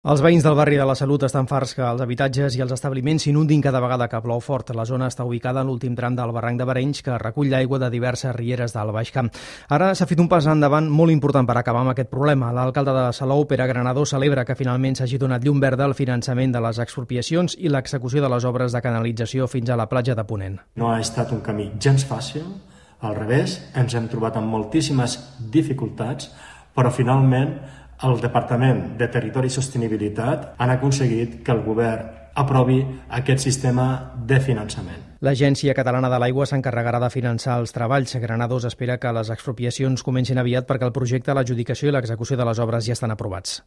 Els veïns del barri de la Salut estan farts que els habitatges i els establiments s'inundin cada vegada que plou fort. La zona està ubicada en l'últim tram del barranc de Barenys, que recull l'aigua de diverses rieres del Baix Camp. Ara s'ha fet un pas endavant molt important per acabar amb aquest problema. L'alcalde de Salou, Pere Granadó, celebra que finalment s'hagi donat llum verda al finançament de les expropiacions i l'execució de les obres de canalització fins a la platja de Ponent. No ha estat un camí gens fàcil, al revés, ens hem trobat amb moltíssimes dificultats, però finalment el Departament de Territori i Sostenibilitat han aconseguit que el govern aprovi aquest sistema de finançament. L'Agència Catalana de l'Aigua s'encarregarà de finançar els treballs. Granados espera que les expropiacions comencin aviat perquè el projecte, l'adjudicació i l'execució de les obres ja estan aprovats.